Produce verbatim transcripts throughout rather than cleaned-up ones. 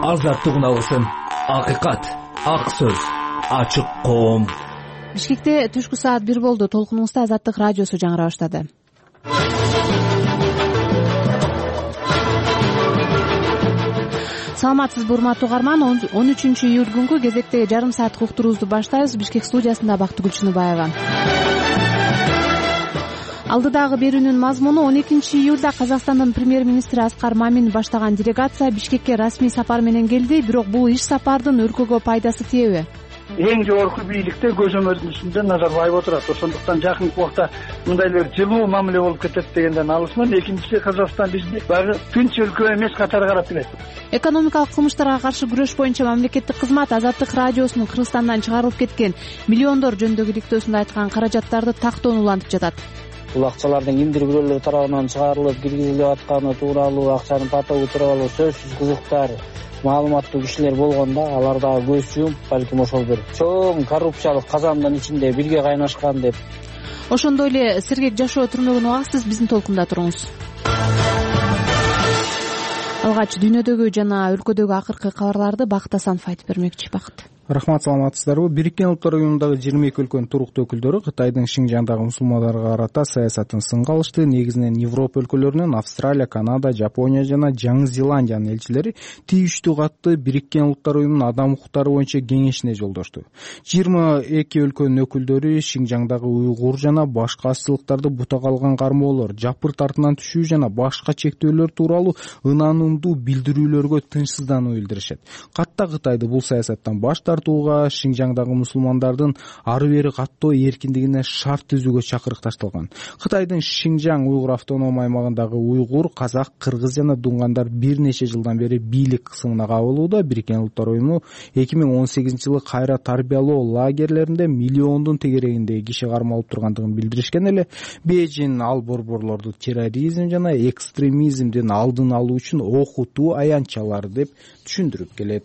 азаттык үналысын, акыйкат, ак сөз, ачык коом. Бишкекте түшкү саат бир болду. Толкунубузда Азаттык радиосу жаңыра баштады. Саламатсызбы урматтуу угарман. он үчүнчү июль күнгү кезектеги жарым сааттык уктуруубузду баштайбыз. Бишкек студиясында Бактыгүл Чыныбаева. Алдыдагы берүүнүн мазмуну: он экинчи июлда Казакстандын премьер-министри Аскар Мамин баштаган делегация Бишкекке расмий сапар менен келди. Бирок бул иш сапардын өлкөгө пайдасы тиеби? Эң жогорку бийликте көзөмөлдүнүндө Назарбаев отурат. Ошондуктан жакынкы убакта мындай эле жылуу мамиле болуп кетет дегенден алысмын. Экинчиси, Казакстан бизди баягы тынч өлкө эмес катары карап келет. Экономикалык кылмыштарга каршы күрөш боюнча мамлекеттик кызмат Азаттык радиосунун Кыргызстандан чыгарылып кеткен миллиондор жөнүндөгү иликтөөсүндө айткан каражаттарды тактоон улантып жатат. Бул акчалардын кимдир бирөөлөр тарабынан чыгарылып киргизилип атканы тууралуу, акчанын потогу тууралуу сөзсүз кызыктар маалыматтуу кишилер болгондо алар дагы көз жумуп, балким ошол бир чоң коррупциялык казандын ичинде бирге кайнашкан деп. Ошондой эле сергек жашоо түрмөгүн угасыз, биздин толкунда туруңуз. Алгач дүйнөдөгү жана өлкөдөгү акыркы кабарларды Бакыт Асанов айтып бермекчи. Бакыт. Рахмат, саламатсыздарбы? Бириккен Улуттар уюмундагы жыйырма эки өлкөнүн туруктуу өкүлдөрү Кытайдын Шинжаңдагы мусулмандарга карата саясатын сынга алышты. Негизинен Европа өлкөлөрүнүн Австралия, Канада, Жапония жана Жаңы Зеландиянын элчилери тийиштүү катты Бириккен Улуттар уюмунун адам укуктары боюнча кеңешине жолдошту. жыйырма эки өлкөнүн өкүлдөрү Шинжаңдагы уйгур жана башка азчылыктарды бутага алган кармоолор, жапыр тартынан түшүү жана башка чектөөлөр тууралуу ынанымдуу билдирүүлөргө тынчсыздануу билдиришет. Катта Кытайды бул саясаттан баш тартууга, Шинжаңдагы мусулмандардын ары бери каттоо эркиндигине шарт түзүүгө чакырык ташталган. Кытайдын Шинжаң уйгур автоном аймагындагы уйгур, казак, кыргыз жана дунгандар бир нече жылдан бери бийлик кысымына кабылууда. Бириккен Улуттар уюму эки миң он сегизинчи жылы кайра тарбиялоо лагерлеринде миллиондун тегерегиндеги киши кармалып тургандыгын билдиришкен эле. Бейжин ал борборлорду терроризм жана экстремизмдин алдын алуу үчүн окутуу аянтчалары деп түшүндүрүп келет.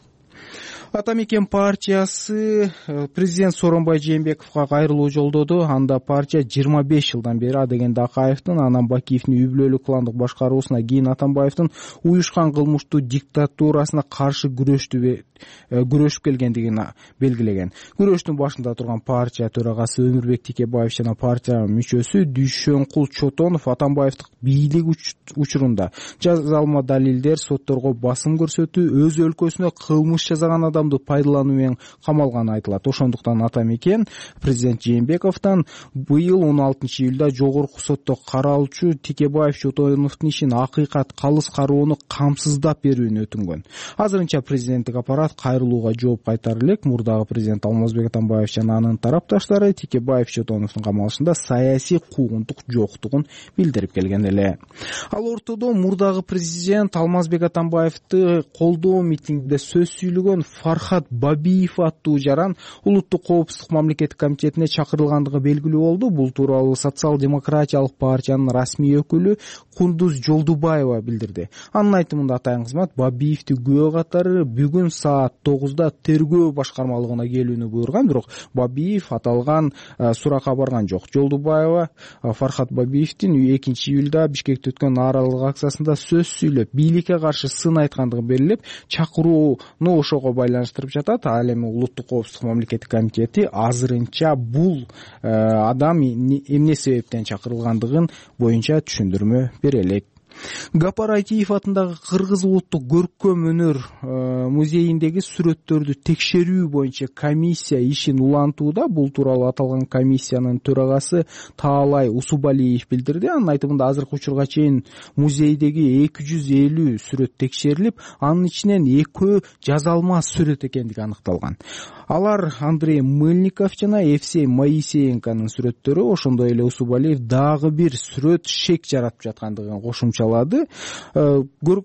Ата мекен партиясы президент Сооронбай Жээнбековго кайрылуу жолдоду. Анда партия жыйырма беш жылдан бери Адегенди Акаевдин, анан Бакиевдин үй бүлөлүк кландык башкаруусуна, кийин Атамбаевдин уюшкан кылмыштуу диктатурасына каршы күрөштү күрөшүп келгендигин белгилеген. Күрөштүн башында турган партия төрагасы Өмүрбек Текебаев жана партия мүчөсү Дүйшөнкул Чотонов Атамбаевдин бийлик учурунда жазалма далилдер, сотторго басым көрсөтүү, өз өлкөсүнө кылмыш жазаган адамды пайдалануу менен камалганы айтылат. Ошондуктан ата мекен президент Жээнбековдон быйыл он алтынчы июлда жогорку сотто каралчу Текебаев Чотоновдун ишин акыйкат, калыс кароону камсыздап берүүнү өтүнгөн. Азырынча президенттик аппарат кайрылууга жооп кайтары элек. Мурдагы президент Алмазбек Атамбаев жана анын тарапташтары Текебаев Чотоновдун камалышында саясий куугунтук жоктугун билдирип келген эле. Ал ортодо мурдагы президент Алмазбек Атамбаевди колдоо митингде сөз сүйлөгөн Фархат Бабиев аттуу жаран улуттук коопсуздук мамлекеттик комитетине чакырылгандыгы белгилүү болду. Бул тууралуу социал-демократиялык партиянын расмий өкүлү Кундуз Жолдубаева билдирди. Анын айтымында атайын кызмат Бабиевди күбө катары бүгүн саат тогузда тергөө башкармалыгына келүүнү буйруган, бирок Бабиев аталган суракка барган жок. Жолдубаева Фархат Бабиевдин экинчи июлда Бишкекте өткөн нааразылык акциясында сөз сүйлөп, бийликке каршы сын айткандыгын белгилеп, чакырууну ошого байланыштырып жатат. Ал эми улуттук коопсуздук мамлекеттик комитети азырынча бул адам эмне себептен чакырылгандыгын боюнча түшүндүрмө бере элек. Гапар Айтиев атындагы Кыргыз улуттук көркөм өнөр музейиндеги сүрөттөрдү текшерүү боюнча комиссия ишин улантууда. Бул тууралуу аталган комиссиянын төрагасы Таалай Усубалиев билдирди. Анын айтымында азыркы учурга чейин музейдеги эки жүз элүү сүрөт текшерилип, анын ичинен экөө жазалма сүрөт экендиги аныкталган. Алар Андрей Мыльников жана Евсей Моисеенконун сүрөттөрү. Ошондой эле Усубалиев дагы бир сүрөт шек жаратып жаткандыгын кошумчалады.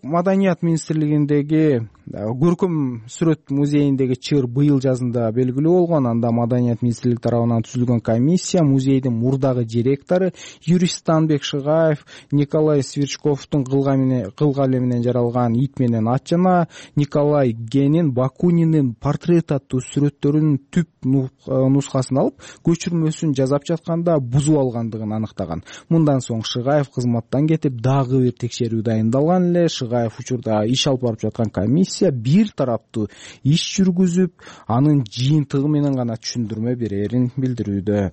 Маданият министрлигиндеги көркөм сүрөт музейиндеги чыр быйыл жазында белгилүү болгон. Анда Маданият министрлиги тарабынан түзүлгөн комиссия музейдин мурдагы директору юрист Станбек Шыгаев, Николай Сверчковдун кылгалы менен жаралган Ит менен ат жана Николай Генин Бакунинин портрет аттуу сүрөттөрүнүн түп нускасын алып, көчүрмөсүн жасап жатканда бузуп алгандыгын аныктаган. Мындан соң Шыгаев кызматтан кетип, дагы бир текшерүү дайындалган эле. Шыгаев учурда иш алып барып жаткан комиссия бир тараптуу иш жүргүзүп, анын жыйынтыгы менен гана түшүндүрмө берерин билдирүүдө.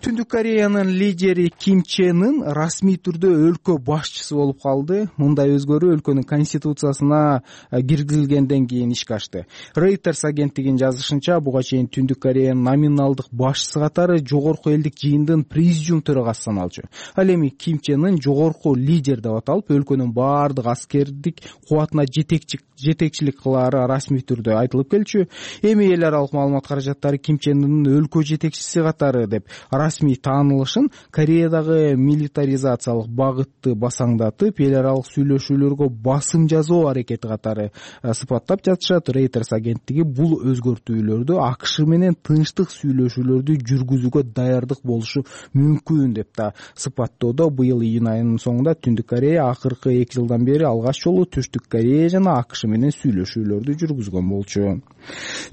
Түндүк Кореянын лидери Ким Чен Ын расмий түрдө өлкө башчысы болуп калды. Мындай өзгөрүү өлкөнүн конституциясына киргизилгенден кийин ишке ашты. Reuters агенттигинин жазышынча, буга чейин Түндүк Кореянын номиналдык башчысы катары жогорку элдик жыйындын президиум төрагасы саналчу. Ал эми Ким Чен Ын жогорку лидер деп аталып, өлкөнүн баардык аскердик кубатына жетекчик жетекчилик кылаары расмий түрдө айтылып келчү. Эми эл аралык маалымат каражаттары Ким Чен Ынын өлкө жетекчиси катары деп расмий таанылышын Кореядагы милитаризациялык багытты басаңдатып, эл аралык сүйлөшүүлөргө басым жасоо аракети катары сыпаттап жатышат. Reuters агенттиги бул өзгөртүүлөрдү АКШ менен тынчтык сүйлөшүүлөрдү жүргүзүүгө даярдык болушу мүмкүн деп да сыпаттоодо. Быйыл июнь айынын соңунда Түндүк Корея акыркы эки жылдан бери алгач жолу Түштүк Корея жана АКШ менен сүйлөшүүлөрдү жүргүзгөн болчу.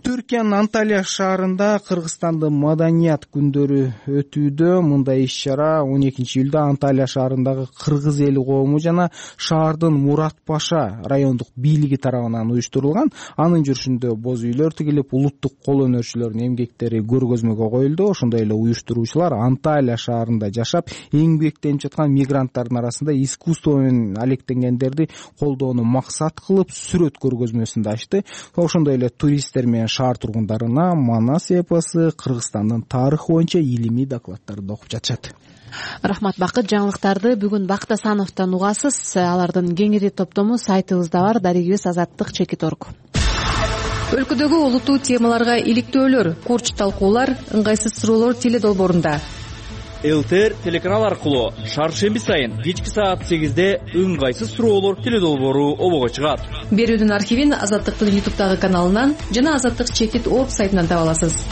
Түркиянын Анталия шаарында Кыргызстандын маданият күндөрү өтүүдө. Мындай иш-чара он экинчи июлда Анталия шаарындагы кыргыз эли коому жана шаардын Мурат Паша райондук бийлиги тарабынан уюштурулган. Анын жүрүшүндө боз үйлөр тигилип, улуттук кол өнөрчүлөрдүн эмгектери көргөзмөгө коюлду. Ошондой эле уюштуруучулар Анталия шаарында жашап эмгектенип жаткан мигранттардын арасында искусство менен алектенгендерди колдоону максат кылып сүрөт көргөзмөсүн да ачты. Ошондой эле туристтер менен шаар тургундарына Манас эпосу, Кыргызстандын тарыхы боюнча илимий докладдарды окуп жатышат. Рахмат Бакыт. Жаңылыктарды бүгүн Бакыт Асановдон угасыз. Алардын кеңири топтому сайтыбызда бар. Дарегибиз азаттык чекит орг. Өлкөдөгү олуттуу темаларга иликтөөлөр, курч талкуулар, ыңгайсыз суроолор теле долбоорунда. ЛТР телеканал аркылуу шаршемби сайын кечки саат сегизде ыңгайсыз суроолор теле долбоору обого чыгат. Берүүдүн архивин Азаттыктын ютубтагы каналынан жана азаттык чекит орг сайтынан таба аласыз.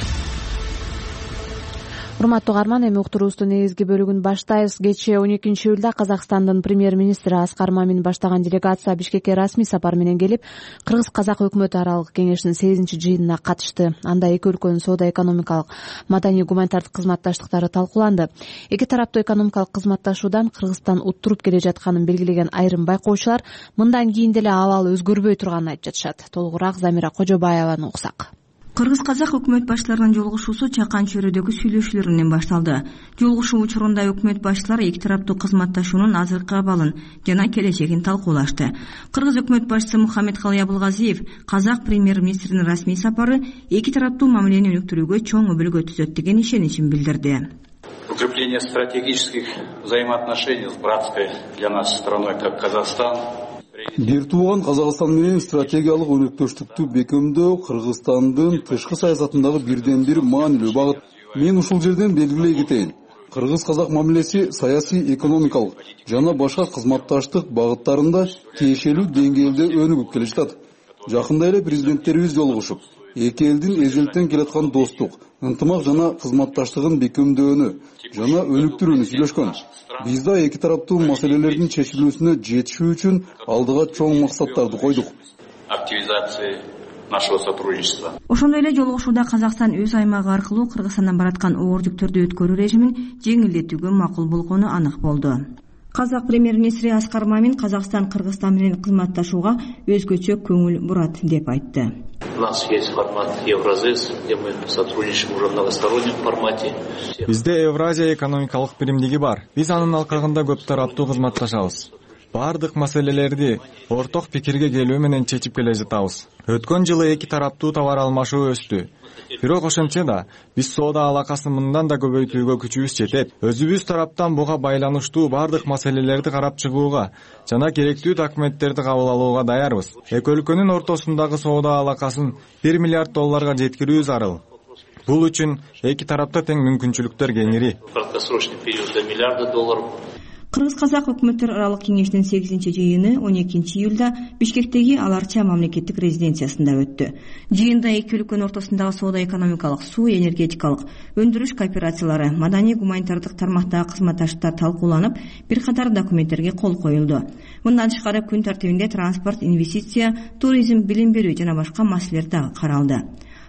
Урматтуу угарман, эми уктуруубуздун негизги бөлүгүн баштайбыз. Кечээ он экинчи июлда Казакстандын премьер-министри Аскар Мамин баштаган делегация Бишкекке расмий сапар менен келип, Кыргыз-Казак өкмөт аралык кеңешинин сегизинчи жыйынына катышты. Анда эки өлкөнүн соода-экономикалык, маданий гуманитардык кызматташтыктары талкууланды. Эки тараптуу экономикалык кызматташуудан Кыргызстан уттуруп келе жатканын белгилеген айрым байкоочулар мындан кийин деле абал өзгөрбөй турганын айтып жатышат. Толугураак Замира Кожобаеваны уксак. Кыргыз-Казак өкмөт башчыларынын жолугушуусу Чакан чөйрөдөгү сүйлөшүүлөр менен башталды. Жолугушуу учурунда өкмөт башчылары эки тараптуу кызматташуунун азыркы абалын жана келечегин талкуулашты. Кыргыз өкмөт башчысы Мухаммедкалый Абылгазиев Казак премьер-министринин расмий сапары эки тараптуу мамилени өнүктүрүүгө чоң өбөлгө түзөт деген ишеничин билдирди. Укрепление стратегических взаимоотношений с братской для нас страной, как Казахстан. Бир тууган Казакстан менен стратегиялык өнөктөштүктү бекемдөө Кыргызстандын тышкы саясатындагы бирден бир маанилүү багыт. Мен ушул жерден белгилей кетейин. Кыргыз-Казак мамилеси саясий, экономикалык жана башка кызматташтык багыттарында тиешелүү деңгээлде өнүгүп келе жатат. Жакында эле президенттерибиз жолугушуп, эки элдин эжелтен келаткан достук, ынтымак жана кызматташтыгын бекемдөөнү жана өнүктүрүүнү сүйлөшкөн. Биз да эки тараптуу маселелердин чечилүүсүнө жетишүү үчүн алдыга чоң максаттарды койдук. Активизация нашего сотрудничества. Ошондой эле жолугушууда Казакстан өз аймагы аркылуу Кыргызстандан бараткан оор жүктөрдү өткөрүү режимин жеңилдетүүгө макул болгону анык болду. Казак премьер-министри Аскар Мамин Казакстан Кыргызстан менен кызматташууга өзгөчө көңүл бурат деп айтты. У нас есть формат Евразес, где мы сотрудничаем уже в многостороннем формате. Бизде Евразия экономикалык биримдиги бар. Биз анын алкагында көп тараптуу кызматташабыз. Бардык маселелерди орток пикирге келүү менен чечип келе жатабыз. Өткөн жылы эки тараптуу товар алмашуу өстү. Бирок ошентсе да биз соода алакасын мындан да көбөйтүүгө күчүбүз жетет. Өзүбүз тараптан буга байланыштуу бардык маселелерди карап чыгууга жана керектүү документтерди кабыл алууга даярбыз. Эки өлкөнүн ортосундагы соода алакасын бир миллиард долларга жеткирүү зарыл. Бул үчүн эки тарапта тең мүмкүнчүлүктөр кеңири. Краткосрочный период до миллиарда долларов. Кыргыз-Казак өкмөттөр аралык кеңешинин сегизинчи жыйыны он экинчи июлда Бишкектеги Аларча мамлекеттик резиденциясында өттү. Жыйында эки өлкөнүн ортосундагы соода-экономикалык, суу энергетикалык, өндүрүш кооперациялары, маданий гуманитардык тармактагы кызматташтыктар талкууланып, бир катар документтерге кол коюлду. Мындан тышкары күн тартибинде транспорт, инвестиция, туризм, билим берүү жана башка маселелер дагы каралды.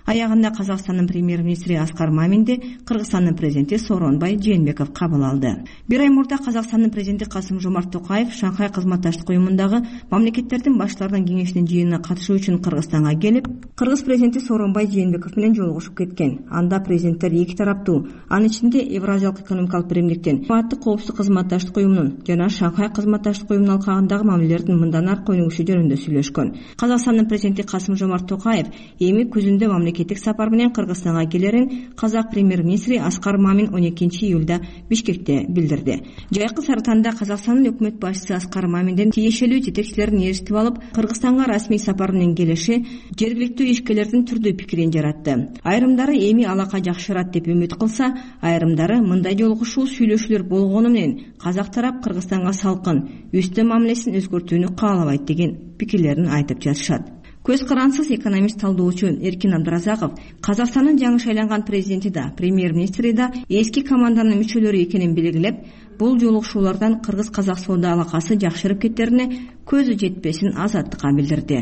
Аягында Казакстандын премьер-министри Аскар Маминди Кыргызстандын президенти Сооронбай Жээнбеков кабыл алды. Бир ай мурда Казакстандын президенти Касым-Жомарт Токаев Шанхай кызматташтык уюмундагы мамлекеттердин баштарынын кеңешинин жыйынына катышуу үчүн Кыргызстанга келип, Кыргыз президенти Сооронбай Жээнбеков менен жолугушуп кеткен. Анда президенттер эки тараптуу, анын ичинде Евразиялык экономикалык биримдиктин, Кызматтык коопсуздук кызматташтык уюмунун жана Шанхай кызматташтык уюмунун алкагындагы мамилелердин мындан аркы өнүгүшү жөнүндө сүйлөшкөн. Казакстандын президенти Касым-Жомарт Токаев эми күзүндө мамлекеттик сапар менен Кыргызстанга келерин казак премьер-министри Аскар Мамин он экинчи июлда Бишкекте билдирди. Жайкы Сарытанда Казакстандын өкмөт башчысы Аскар Маминдин тиешелүү жетекчилерин ээрчитип алып, Кыргызстанга расмий сапар менен келиши жергиликтүү ишкерлердин түрдүү пикирин жаратты. Айрымдары эми алака жакшырат деп үмүт кылса, айрымдары мындай жолугушуу сүйлөшүүлөр болгону менен казак тарап Кыргызстанга салкын, үстө мамилесин өзгөртүүнү каалабайт деген пикирлерин айтып жатышат. Көз карансыз экономист талдоочу Эркин Абдыразаков Казакстандын жаңы шайланган президенти да, премьер-министри да эски команданын мүчөлөрү экенин белгилеп, бул жолугушуулардан кыргыз-казак соода алакасы жакшырып кеттерине көзү жетпесин Азаттыкка билдирди.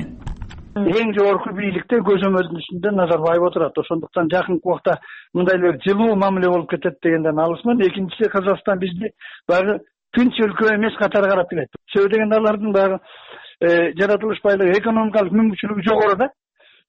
Эң жогорку бийликте көзөмөлдүн үстүндө Назарбаев отурат. Ошондуктан жакынкы убакта мындай эле жылуу мамиле болуп кетет дегенден алысмын. Экинчиси, Казакстан бизди багы тынч өлкө эмес катары карап келет. Себеби дегенде алардын багы жаратылыш байлыгы, экономикалык мүмкүнчүлүгү жогору да.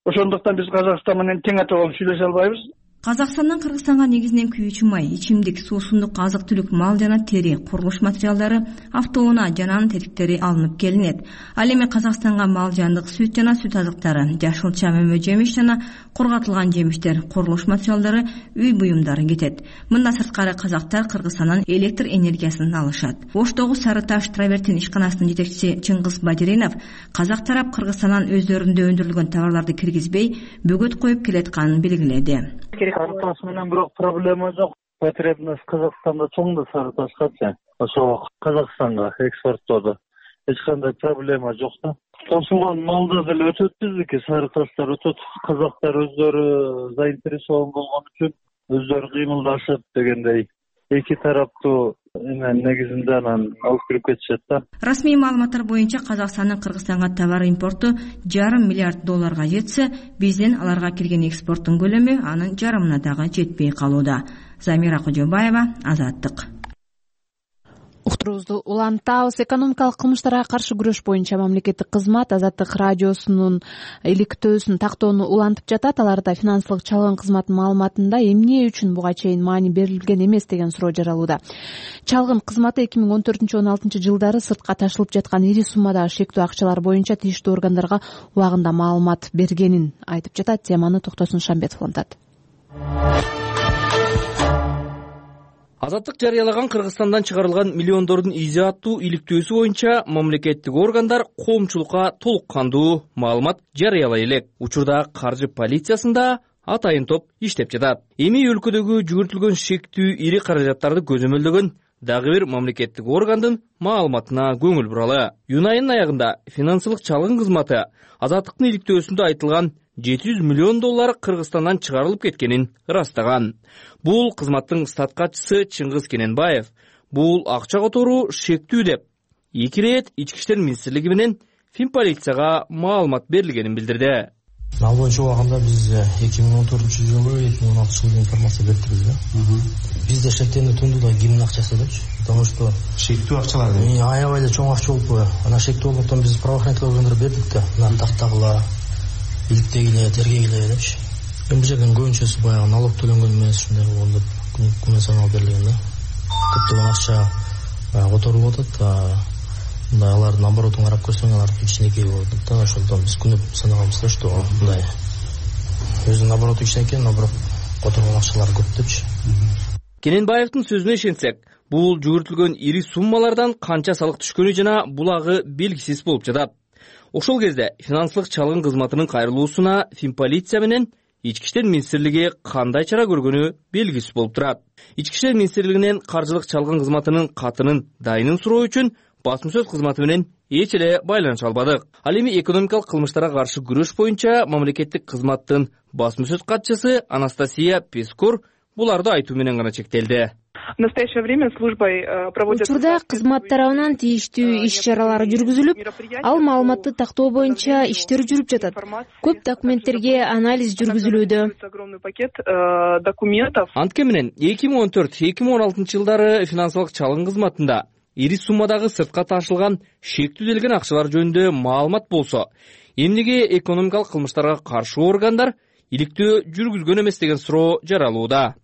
Ошондуктан биз Казакстан менен тең ата болуп сүйлөшө албайбыз. Казакстандан Кыргызстанга негизинен күйүүчү май, ичимдик, суусундук, азык-түлүк, мал жана тери, курулуш материалдары, автоунаа жана анын тетиктери алынып келинет. Ал эми Казакстанга мал жандык сүт жана сүт азыктары, жашылча, мөмө жемиш жана корготулган жемиштер, курулуш материалдары, үй буюмдары кетет. Мындан сырткары казактар Кыргызстандан электр энергиясын алышат. Оштогу Сары Таш Травертин ишканасынын жетекчиси Чыңгыз Бадиринов казак тарап Кыргызстандан өздөрүндө өндүрүлгөн товарларды киргизбей, бөгөт коюп келатканын белгиледи. Сары таш менен бирок проблема жок. Потребность Казакстанда чоң да сары ташкачы. Ошо Казакстанга экспорттоодо эч кандай проблема жок да. Тосулган малда деле өтөт биздики, сары таштар өтөт. Казактар өздөрү заинтересован болгон үчүн өздөрү кыймылдашып дегендей эки тараптуу эмен негизинде анан алып кирип кетишет да. Расмий маалыматтар боюнча Казакстандын Кыргызстанга товар импорту жарым миллиард долларга жетсе, биздин аларга кирген экспорттун көлөмү анын жарымына дагы жетпей калууда. Замира Кожобаева, Азаттык. Уктуруубузду улантабыз. Экономикалык кылмыштарга каршы күрөш боюнча мамлекеттик кызмат Азаттык радиосунун иликтөөсүн тактоону улантып жатат. Аларда финансылык чалгын кызматынын маалыматында эмне үчүн буга чейин маани берилген эмес деген суроо жаралууда. Чалгын кызматы эки миң он төртүнчү он алтынчы жылдары сыртка ташылып жаткан ири суммадагы шектүү акчалар боюнча тийиштүү органдарга убагында маалымат бергенин айтып жатат. Теманы Токтосун Шамбетов улантат. Азаттык жарыялаган Кыргызстандан чыгарылган миллиондордун изи аттуу иликтөөсү боюнча мамлекеттик органдар коомчулукка толук кандуу маалымат жарыялай элек. Учурда каржы полициясында атайын топ иштеп жатат. Эми өлкөдөгү жүгүртүлгөн шектүү ири каражаттарды көзөмөлдөгөн дагы бир мамлекеттик органдын маалыматына көңүл буралы. Июнь айынын аягында финансылык чалгын кызматы Азаттыктын иликтөөсүндө айтылган жети жүз миллион доллар Кыргызстандан чыгарылып кеткенин ырастаган. Бул кызматтын штат катчысы Чыңгыз Кененбаев бул акча которуу шектүү деп эки ирет ички иштер министрлиги менен Финполицияга маалымат берилгенин билдирди. Ал боюнча убагында биз эки миң он төртүнчү жылы, эки миң он алтынчы жылы информация бердик да. Бизде шектенүү тундуда кимдин акчасы депчи, потому что шектүү акчалар деп. Аябай эле чоң акча болуп, анан шектүү болгондон биз правоохранительный органдарга бердик да. Анан тактагыла, иликтегиле, тергегиле депчи. Эми бул жерден көбүнчөсү баягы налог төлөнгөн эмес, ушундай болгондо күнү саналып берилген да. Көптөгөн акча которулуп атат. Мындай алардын оборотун карап көрсөң, алардын кичинекей болуп атат да. Ошондон биз күнү санаганбыз да, что мындай өзүнүн обороту кичинекей, но бирок которулган акчалар көп депчи. Кененбаевдин сөзүнө ишенсек, бул жүгүртүлгөн ири суммалардан канча салык түшкөнү жана булагы белгисиз болуп жатат. Ошол кезде финансылык чалгын кызматынын кайрылуусуна Финполиция менен Ички иштер министрлиги кандай чара көргөнү белгисиз болуп турат. Ички иштер министрлигинен каржылык чалгын кызматынын катынын дайынын суроо үчүн басма сөз кызматы менен эч эле байланыша албадык. Ал эми экономикалык кылмыштарга каршы күрөш боюнча мамлекеттик кызматтын басма сөз катчысы Анастасия Пескор буларды айтуу менен гана чектелди. В настоящее время службой проводят учурда кызмат тарабынан тийиштүү иш чаралар жүргүзүлүп, ал маалыматты тактоо боюнча иштер жүрүп жатат. Көп документтерге анализ жүргүзүлүүдө. Огромный пакет документов. Антке менен эки миң он төрт эки миң он алтынчы жылдары финансылык чалым кызматында ири суммадагы сыртка ташылган шектүүлдөлгөн акчалар жөнүндө маалымат болсо, эмнеге экономикалык кылмыштарга каршы органдар иликтөө жүргүзгөн эмес деген суроо жаралууда.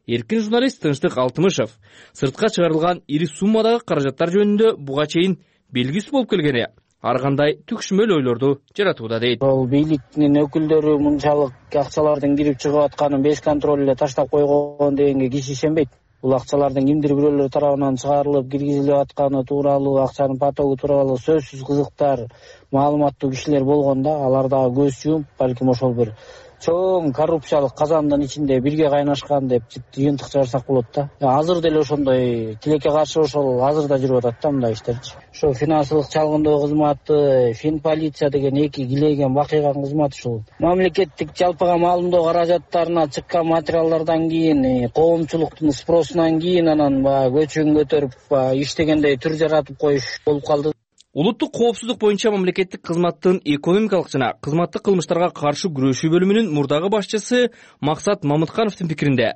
Эркин журналист Тынчтык Алтымышев сыртка чыгарылган ири суммадагы каражаттар жөнүндө буга чейин белгисиз болуп келгени ар кандай түкшмөл ойлорду жаратууда дейт. Ал бийликтин өкүлдөрү мынчалык акчалардын кирип чыгып атканын беш контроль эле таштап койгон дегенге киши ишенбейт. Бул акчалардын кимдир бирөөлөр тарабынан чыгарылып киргизилип атканы тууралуу, акчанын потогу тууралуу сөзсүз кызыктар, маалыматтуу кишилер болгондо алар дагы көз жумуп, балким ошол бир чоң коррупциялык казандын ичинде бирге кайнашкан деп жыйынтык чыгарсак болот да. Азыр деле ошондой тилекке каршы ошол азыр да жүрүп атат да мындай иштерчи. Ошо финансылык чалгындоо кызматы, фин полиция деген эки килейген бакыйган кызмат ушул. Мамлекеттик жалпыга маалымдоо каражаттарына чыккан материалдардан кийин, коомчулуктун спросунан кийин анан баягы көчүн көтөрүп иштегендей түр жаратып коюш болуп калды. Улуттук коопсуздук боюнча мамлекеттик кызматтын экономикалык жана кызматтык кылмыштарга каршы күрөшүү бөлүмүнүн мурдагы башчысы Максат Мамыткановдун пикиринде,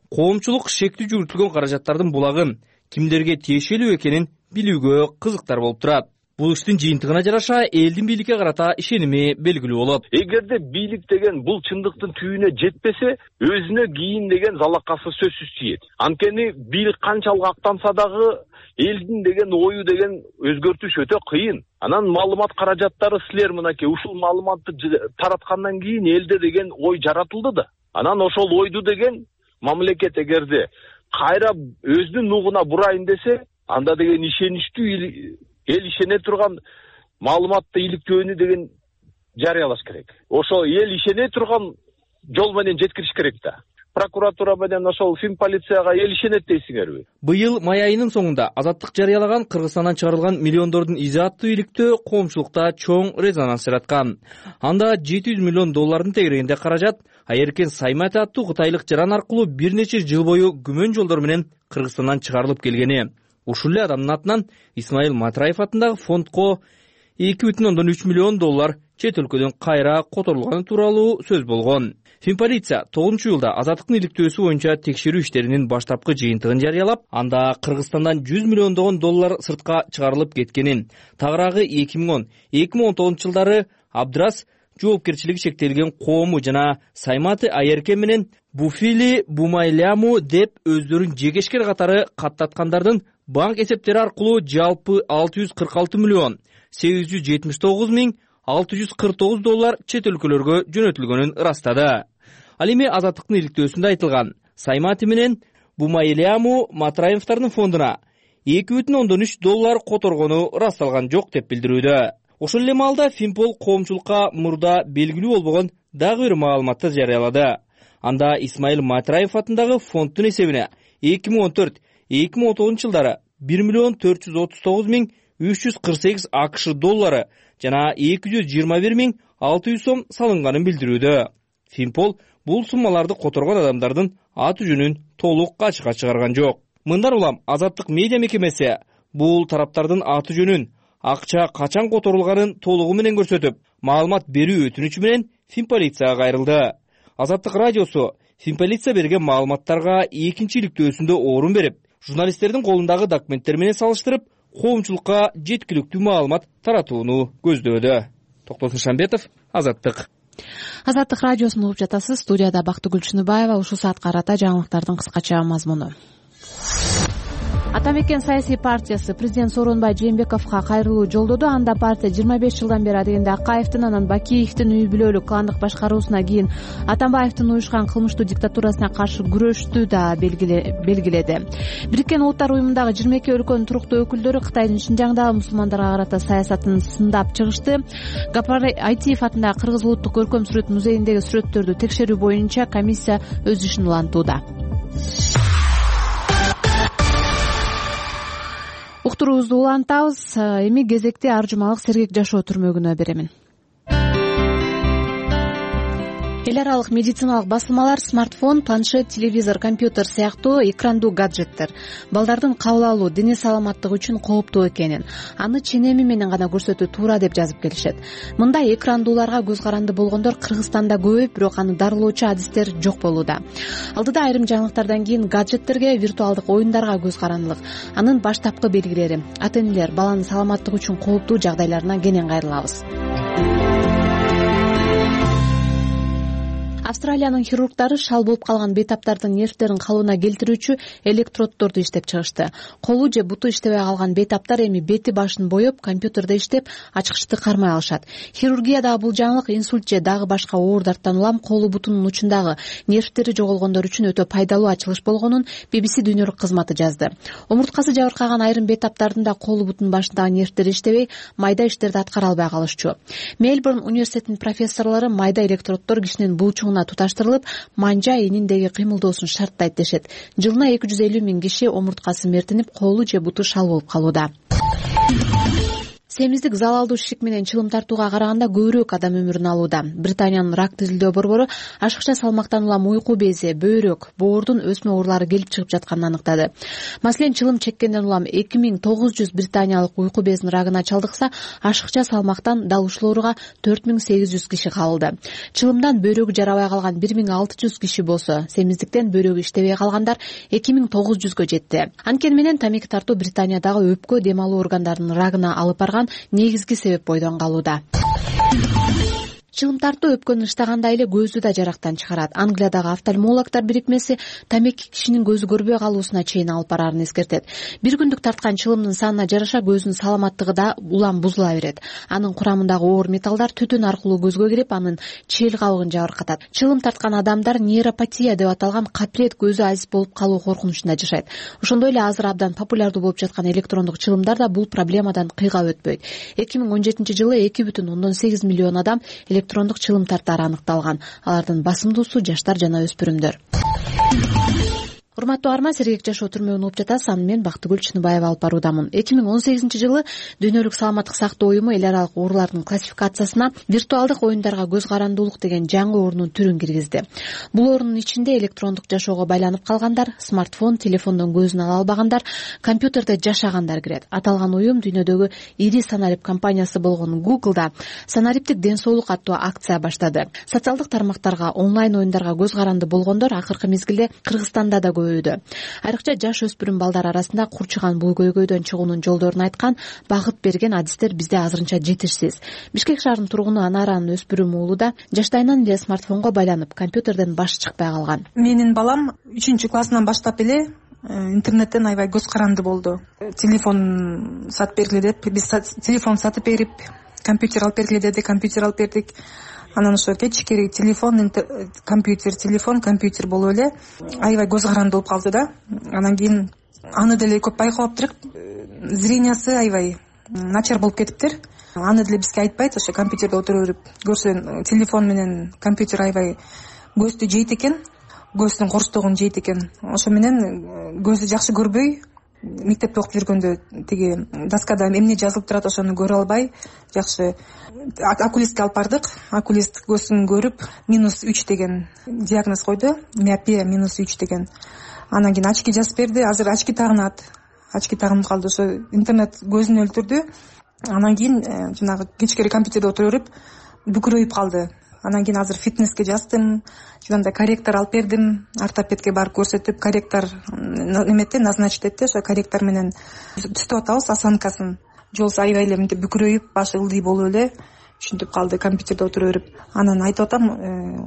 коомчулук шектүү жүргүзүлгөн каражаттардын булагын кимдерге тиешелүү экенин билүүгө кызыктар болуп турат. Бул иштин жыйынтыгына жараша элдин бийликке карата ишеними белгилүү болот. Эгерде бийлик деген бул чындыктын түбүнө жетпесе, өзүнө кийин деген залакасы сөзсүз тиет. Анткени бийлик канчалык актанса дагы элдин деген ою деген өзгөртүш өтө кыйын. Анан маалымат каражаттары силер мынакей ушул маалыматты тараткандан кийин элде деген ой жаратылды да. Анан ошол ойду деген мамлекет эгерде кайра өзүнүн нугуна бурайын десе, анда деген ишеничтүү эл ишене турган маалыматты иликтөөнү деген жарыялаш керек. Ошо эл ишене турган жол менен жеткириш керек да. Прокуратура менен ошол фин полицияга эл ишенет дейсиңерби? Быйыл май айынын соңунда Азаттык жарыялаган Кыргызстандан чыгарылган миллиондордун изи аттуу иликтөө коомчулукта чоң резонанс жараткан. Анда жети жүз миллион доллардын тегерегинде каражат Айеркен Сайматы аттуу кытайлык жаран аркылуу бир нече жыл бою күмөн жолдор менен Кыргызстандан чыгарылып келгени. Ушул эле адамдын атынан Исмаил Матраев атындагы фондко эки бүтүн ондон үч миллион доллар чет өлкөдөн кайра которулганы тууралуу сөз болгон. Финполиция тогузунчу июлда Азаттыктын иликтөөсү боюнча текшерүү иштеринин баштапкы жыйынтыгын жарыялап, анда Кыргызстандан жүз миллиондогон доллар сыртка чыгарылып кеткенин, тагыраагы эки миң он эки миң он тогузунчу жылдары Абдрас жоопкерчилиги шектелген коому жана Сайматы Айеркен менен Буфили Бумайляму деп өздөрүн жегешкер катары каттаткандардын банк эсептери аркылуу жалпы алты жүз кырк алты миллион сегиз жүз жетимиш тогуз миң алты жүз кырк тогуз доллар чет өлкөлөргө жөнөтүлгөнүн ырастады. Ал эми Азаттыктын иликтөөсүндө айтылган Сайматы менен Бумайляму Матраевдардын фондуна эки бүтүн ондон үч доллар которгону ырасталган жок деп билдирүүдө. Ошол эле маалда Финпол коомчулукка мурда белгилүү болбогон дагы бир маалыматты жарыялады. Анда Исмаил Матраев атындагы фонддун эсебине эки миң он төрт эки миң он тогузунчу жылдары бир миллион төрт жүз отуз тогуз миң үч жүз кырк сегиз АКШ доллары жана эки жүз жыйырма бир миң алты жүз сом салынганын билдирүүдө. Финпол бул суммаларды которгон адамдардын аты жөнүн толук ачыкка чыгарган жок. Мындан улам Азаттык медиа мекемеси бул тараптардын аты жөнүн, акча качан которулганын толугу менен көрсөтүп, маалымат берүү өтүнүчү менен Финполицияга кайрылды. Азаттык радиосу Финполиция берген маалыматтарга экинчи иликтөөсүндө орун берип, журналисттердин колундагы документтер менен салыштырып, коомчулукка жеткиликтүү маалымат таратууну көздөөдө. Токтосун Шамбетов, Азаттык. Азаттык радиосун угуп жатасыз. Студияда Бактыгүл Чыныбаева. Ушул саатка карата жаңылыктардын кыскача мазмуну. Ата мекен саясий партиясы президент Сооронбай Жээнбековго кайрылуу жолдоду. Анда партия жыйырма беш жылдан бери адегенде Акаевдин, анан Бакиевдин үй бүлөлүк кландык башкаруусуна кийин Атамбаевдин уюшкан кылмыштуу диктатурасына каршы күрөштү да белгиледи. Бириккен Улуттар уюмундагы жыйырма эки өлкөнүн туруктуу өкүлдөрү Кытайдын Шинжаңдагы мусулмандарга карата саясатын сындап чыгышты. Гапар Айтиев атындагы Кыргыз улуттук көркөм сүрөт музейиндеги сүрөттөрдү текшерүү боюнча комиссия өз ишин улантууда. Уктуруубузду улантабыз. Эми кезекти ар жумалык сергек жашоо түрмөгүнө беремин. эл аралык медициналык басылмалар смартфон, планшет, телевизор, компьютер сыяктуу экрандуу гаджеттер балдардын кабыл алуу, дене саламаттыгы үчүн кооптуу экенин, аны ченеми менен гана көрсөтүү туура деп жазып келишет. Мындай экрандууларга көз каранды болгондор Кыргызстанда көбөйүп, бирок аны дарылоочу адистер жок болууда. Алдыда айрым жаңылыктардан кийин гаджеттерге, виртуалдык оюндарга көз карандылык, анын баштапкы белгилери, ата-энелер баланын саламаттыгы үчүн кооптуу жагдайларына кенен кайрылабыз. Австралиянын хирургдары шал болуп калган бейтаптардын нервтерин калыбына келтирүүчү электроддорду иштеп чыгышты. Колу же буту иштебей калган бейтаптар эми бети башын боеп, компьютерде иштеп, ачкычты кармай алышат. Хирургиядагы бул жаңылык инсульт же дагы башка оордардан улам колу бутунун учундагы нервтери жоголгондор үчүн өтө пайдалуу ачылыш болгонун би би си дүйнөлүк кызматы жазды. Омурткасы жабыркаган айрым бейтаптардын да колу бутунун башындагы нервтери иштебей, майда иштерди аткара албай калышчу. Мельбурн университетинин профессорлору майда электроддор кишинин булчугуна туташтырылып, манжа эниндеги кыймылдоосун шарттайт дешет. Жылына эки жүз элүү миң киши омурткасы мертинип, колу же буту шал болуп калууда. Семиздик залалдуу шишик менен чылым тартууга караганда көбүрөөк адам өмүрүн алууда. Британиянын рак тизилдөө борбору ашыкча салмактан улам уйку бези, бөйрөк, боордун өсмө оорулары келип чыгып жатканын аныктады. Маселен, чылым чеккенден улам эки миң тогуз жүз британиялык уйку безинин рагына чалдыкса, ашыкча салмактан дал ушул ооруга төрт миң сегиз жүз киши кабылды. Чылымдан бөйрөгү жарабай калган бир миң алты жүз киши болсо, семиздиктен бөйрөгү иштебей калгандар эки миң тогуз жүзгө жетти. Анткени менен тамеки тартуу Британиядагы өпкө, дем алуу органдарынын рагына алып барган негизги себеп бойдон калууда. Чылым тартуу өпкөнү ыштаганда эле көздү да жарактан чыгарат. Англиядагы офтальмологдор бирикмеси тамеки кишинин көзү көрбөй калуусуна чейин алып барарын эскертет. Бир күндүк тарткан чылымдын санына жараша көзүнүн саламаттыгы да улам бузула берет. Анын курамындагы оор металлдар түтүн аркылуу көзгө кирип, анын чел кабыгын жабыркатат. Чылым тарткан адамдар нейропатия деп аталган капирет көзү азиз болуп калуу коркунучунда жашайт. Ошондой эле азыр абдан популярдуу болуп жаткан электрондук чылымдар да бул проблемадан кыйгап өтпөйт. эки миң он жетинчи жылы эки бүтүн ондон сегиз миллион адам электрондук чылым тартаары аныкталган. Алардын басымдуусу жаштар жана өспүрүмдөр. Урматтуу арма, сергек жашоо түрмөгүн угуп жатасыз. Аны мен Бактыгүл Чыныбаева алып баруудамын. эки миң он сегизинчи жылы Дүйнөлүк саламаттык сактоо уюму эл аралык оорулардын классификациясына виртуалдык оюндарга көз карандуулук деген жаңы оорунун түрүн киргизди. Бул оорунун ичинде электрондук жашоого байланып калгандар, смартфон, телефондон көзүн ала албагандар, компьютерде жашагандар кирет. Аталган уюм дүйнөдөгү ири санарип компаниясы болгон Google'да санариптик ден соолук аттуу акция баштады. Социалдык тармактарга, онлайн оюндарга көз каранды болгондор акыркы мезгилде Кыргызстанда да көбөйдү. Айрыкча жаш өспүрүм балдар арасында курчуган бул көйгөйдөн чыгуунун жолдорун айткан, багыт берген адистер бизде азырынча жетишсиз. Бишкек шаарынын тургуну Анаранын өспүрүм уулу да жаштайынан эле смартфонго байланып, компьютерден башы чыкпай калган. Менин балам үчүнчү классынан баштап эле интернеттен аябай көз каранды болду. Телефон сатып бергиле деп, биз телефон сатып берип, компьютер алып бергиле деди, компьютер алып бердик. Анан ошо кечикери телефон, компьютер, телефон, компьютер болуп эле аябай көз каранды болуп калды да. Анан кийин аны деле көп байкалаптыр. Зрениясы аябай начар болуп кетиптир. Аны деле бизге айтпайт, ошо компьютерде отура берип көрсө, телефон менен компьютер аябай көздү жейт экен, көздүн корустугун жейт экен. Ошо менен көзү жакшы көрбөй, мектепте окуп жүргөндө тиги доскада эмне жазылып турат ошону көрө албай, жакшы окулистке алып бардык. Окулист көзүн көрүп, минус үч деген диагноз койду, миопия минус үч деген. Анан кийин очки жазып берди. Азыр очки тагынат. Очки тагынып калды. Ошо интернет көзүн өлтүрдү. Анан кийин жанагы кечикери компьютерде отура берип бүкүрөйүп калды. Анан кийин азыр фитнеске жаздым. Жогонда корректор алып бердим. Ортопедке барып көрсөтүп, корректор неметти, назначить этти. Ошо корректор менен түзүп атабыз осанкасын. Жолсу аябай эле мынтип бүкүрөйүп, башы ылдый болуп эле түшүнтүп калды компьютерде отура берип. Анан айтып атам,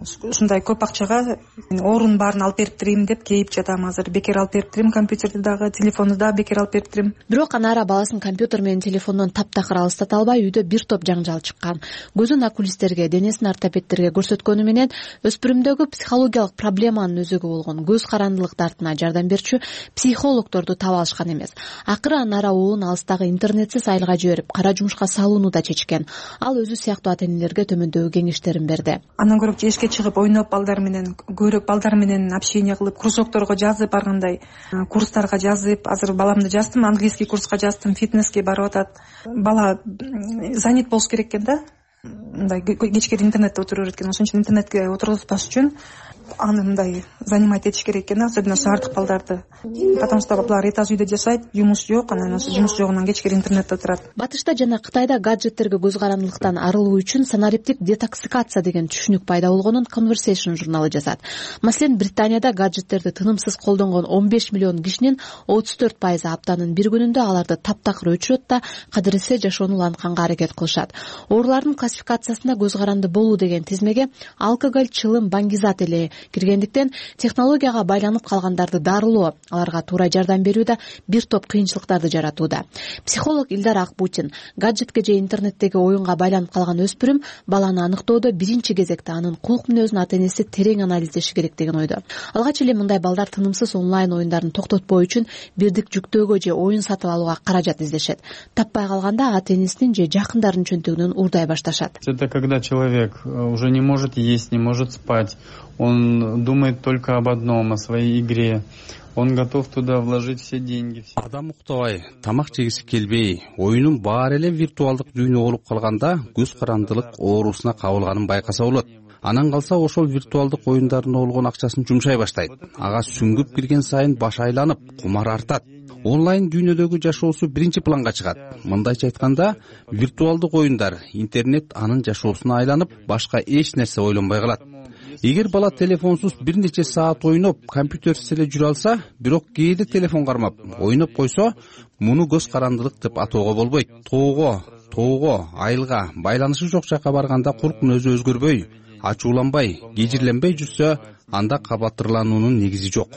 ушундай көп акчага оорунун баарын алып бериптирим деп кейип жатам. Азыр бекер алып бериптирим, компьютерди дагы, телефонду дагы бекер алып бериптирим. Бирок Анара баласын компьютер менен телефондон таптакыр алыстата албай, үйдө бир топ жаңжал чыккан. Көзүн окулисттерге, денесин ортопедтерге көрсөткөнү менен өспүрүмдөгү психологиялык проблеманын өзөгү болгон көз карандылык дартына жардам берчү психологдорду таба алышкан эмес. Акыры Анара уулун алыстагы интернетсиз айылга жиберип, кара жумушка салууну да чечкен. Ал өзү сыяктуу ата-энелерге төмөндөгү кеңештерин берди. Андан көрө эшикке чыгып ойноп, балдар менен көрүп, балдар менен общение кылып, кружокторго жазып, ар кандай курстарга жазып, азыр баламды жаздым, английский курска жаздым, фитнеске барып атат. Бала занят болуш керек экен да. мындай кечкери интернетте отура берет экен. Ошон үчүн интернетке отургузбаш үчүн аны мындай занимать этиш керек экен, особенно шаардык балдарды, потому что булар этаж үйдө жашайт, жумуш жок, анан ошо жумуш жогунан кечкери интернетте отурат. Батышта жана Кытайда гаджеттерге көз карандылыктан арылуу үчүн санариптик детоксикация деген түшүнүк пайда болгонун Conversation журналы жазат. Маселен, Британияда гаджеттерди тынымсыз колдонгон он беш миллион кишинин отуз төрт пайызы аптанын бир күнүндө аларды таптакыр өчүрөт да кадыресе жашоону улантканга аракет кылышат. Оорулардын классификациясында көз каранды болуу деген тизмеге алкоголь, чылым, баңгизат эле киргендиктен технологияга байланып калгандарды дарылоо, аларга туура жардам берүүдө бир топ кыйынчылыктарды жаратууда. Психолог Илдар Акбутин гаджетке же интернеттеги оюнга байланып калган өспүрүм баланы аныктоодо биринчи кезекте анын кулк мүнөзүн ата-энеси терең анализдеши керек деген ойдо. Алгач эле мындай балдар тынымсыз онлайн оюндарын токтотпоо үчүн бирдик жүктөөгө же оюн сатып алууга каражат издешет. Таппай калганда ата-энесинин же жакындарынын чөнтөгүнөн уурдай башташат. Это когда человек уже не может есть, не может спать, он думает только об одном, о своей игре. Он готов туда вложить все деньги. Адам уктабай, тамак жегиси келбей, оюнун баары эле виртуалдык дүйнө болуп калганда көз карандылык оорусуна кабылганын байкаса болот. Анан калса ошол виртуалдык оюндарына болгон акчасын жумшай баштайт. Ага сүңгүп кирген сайын баш айланып, кумар артат. Онлайн дүйнөдөгү жашоосу биринчи планга чыгат. Мындайча айтканда, виртуалдык оюндар, интернет анын жашоосуна айланып, башка эч нерсе ойлонбой калат. Эгер бала телефонсуз бир нече саат ойноп, компьютерсиз эле жүрө алса, бирок кээде телефон кармап, ойноп койсо, муну көз карандылык деп атоого болбойт. Тоого, тоого, айылга, байланышы жок жакка барганда кулк мүнөзү өзгөрбөй, ачууланбай, кежирленбей жүрсө, анда кабаттырлануунун негизи жок.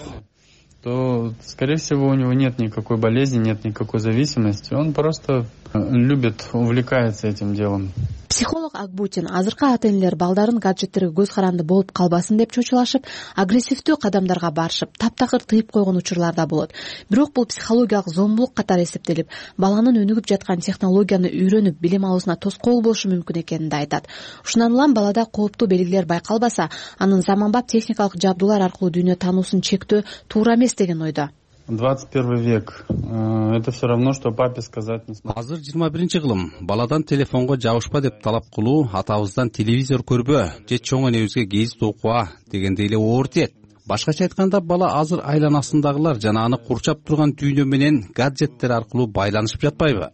То, скорее всего, у него нет никакой болезни, нет никакой зависимости. Он просто любит, увлекается этим делом. Психолог Акбутин азыркы ата-энелер балдарын гаджеттерге көз каранды болуп калбасын деп чочулашып, агрессивдүү кадамдарга барышып, таптакыр тыйып койгон учурлар да болот. Бирок бул психологиялык зомбулук катары эсептелип, баланын өнүгүп жаткан технологияны үйрөнүп, билим алуусуна тоскоол болушу мүмкүн экенин да айтат. Ушундан улам балада кооптуу белгилер байкалбаса, анын заманбап техникалык жабдуулар аркылуу дүйнө таануусун чектөө туура эмес деген ойдо. двадцать первый век. Это все равно, что папе сказать не сможет. Азыр жыйырма биринчи кылым. Баладан телефонго жабышпа деп талап кылуу, атабыздан телевизор көрбө, же чоң энебизге гезит окуа дегендей эле оор тиет. Башкача айтканда, бала азыр айланасындагылар жана аны курчап турган дүйнө менен гаджеттер аркылуу байланышып жатпайбы?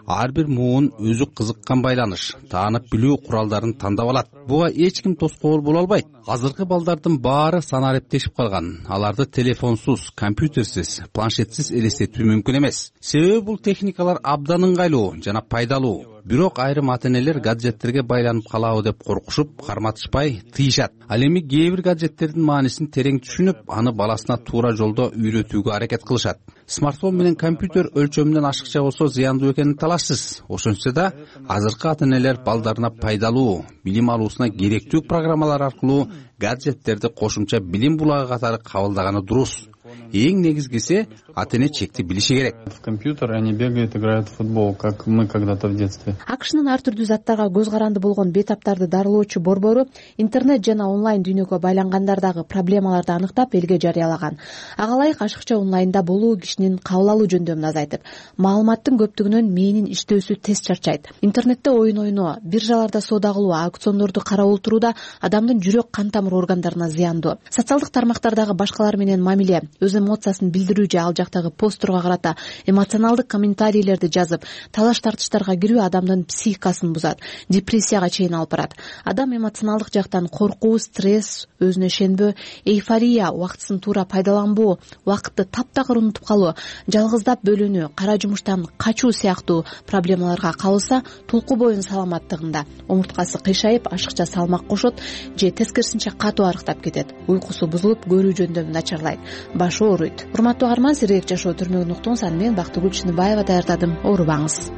Ар бир муун өзү кызыккан байланыш, таанып билүү куралдарын тандап алат. Буга эч ким тоскоол боло албайт. Азыркы балдардын баары санариптешип калган. Аларды телефонсуз, компьютерсиз, планшетсиз элестетүү мүмкүн эмес. Себеби бул техникалар абдан ыңгайлуу жана пайдалуу. Бирок айрым ата-энелер гаджеттерге байланып калабы деп коркушуп, карматышпай тыйышат. Ал эми кээ бир гаджеттердин маанисин терең түшүнүп, аны баласына туура жолдо үйрөтүүгө аракет кылышат. Смартфон менен компьютер өлчөмүнөн ашыкча болсо зыяндуу экенин талашсыз. Ошентсе да, азыркы ата-энелер балдарына пайдалуу, билим алуусуна керектүү программалар аркылуу гаджеттерди кошумча билим булагы катары кабылдаганы дурус. Эң негизгиси ата-эне чекти билиши керек. В компьютер они бегают, играют в футбол, как мы когда-то в детстве. Акшнын ар түрдүү заттарга көз каранды болгон бейтаптарды дарылоочу борбору интернет жана онлайн дүйнөгө байлангандардагы проблемаларды аныктап элге жарыялаган. Ага ылайык ашыкча онлайнда болуу кишинин кабыл алуу жөндөмүн азайтып, маалыматтын көптүгүнөн мээнин иштөөсү тез чарчайт. Интернетте оюн ойноо, биржаларда соода кылуу, аукциондорду карап отурууда адамдын жүрөк кан тамыр органдарына зыяндуу. Социалдык тармактардагы башкалар менен мамиле, өз эмоциясын билдирүү же ал жактагы постторго карата эмоционалдык комментарийлерди жазып, талаш тартыштарга кирүү адамдын психикасын бузат, депрессияга чейин алып барат. Адам эмоционалдык жактан коркуу, стресс, өзүнө ишенбөө, эйфория, убактысын туура пайдаланбоо, убакытты таптакыр унутуп калуу, жалгыздап бөлүнүү, кара жумуштан качуу сыяктуу проблемаларга кабылса, тулку боюн саламаттыгында омурткасы кыйшайып, ашыкча салмак кошот же тескерисинче катуу арыктап кетет. Уйкусу бузулуп, көрүү жөндөмү начарлайт, башы ооруйт. Урматтуу каарман, сирек жашоо түрмөгүн уктуңуз. Аны мен Бактыгүл Чыныбаева даярдадым. Оорубаңыз.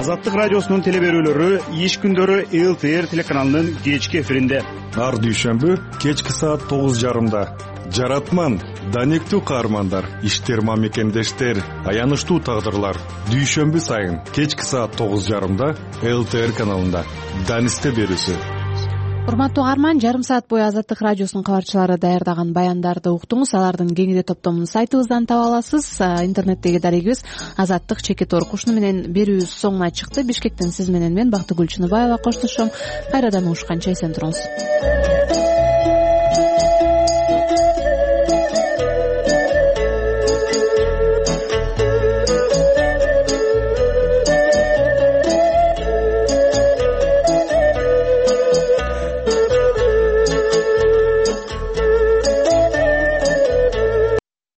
Азаттык радиосунун теле берүүлөрү иш күндөрү эл ти эр телеканалынын кечки эфиринде. Ар дүйшөмбү кечки саат тогуз жарымда. Жаратман, данектүү каармандар, иштер мамекендештер, аянычтуу тагдырлар. Дүйшөмбү сайын кечки саат тогуз жарымда эл ти эр каналында. Данисте берүүсү. урматтуу угарман, жарым саат бою Азаттык радиосунун кабарчылары даярдаган баяндарды уктуңуз. Алардын кеңири топтомун сайтыбыздан таба аласыз. Интернеттеги дарегибиз азаттык чекит орг. Ушуну менен берүүбүз соңуна чыкты. Бишкектен сиз менен мен Бактыгүл Чыныбаева коштошом. Кайрадан угушканча эсен туруңуз.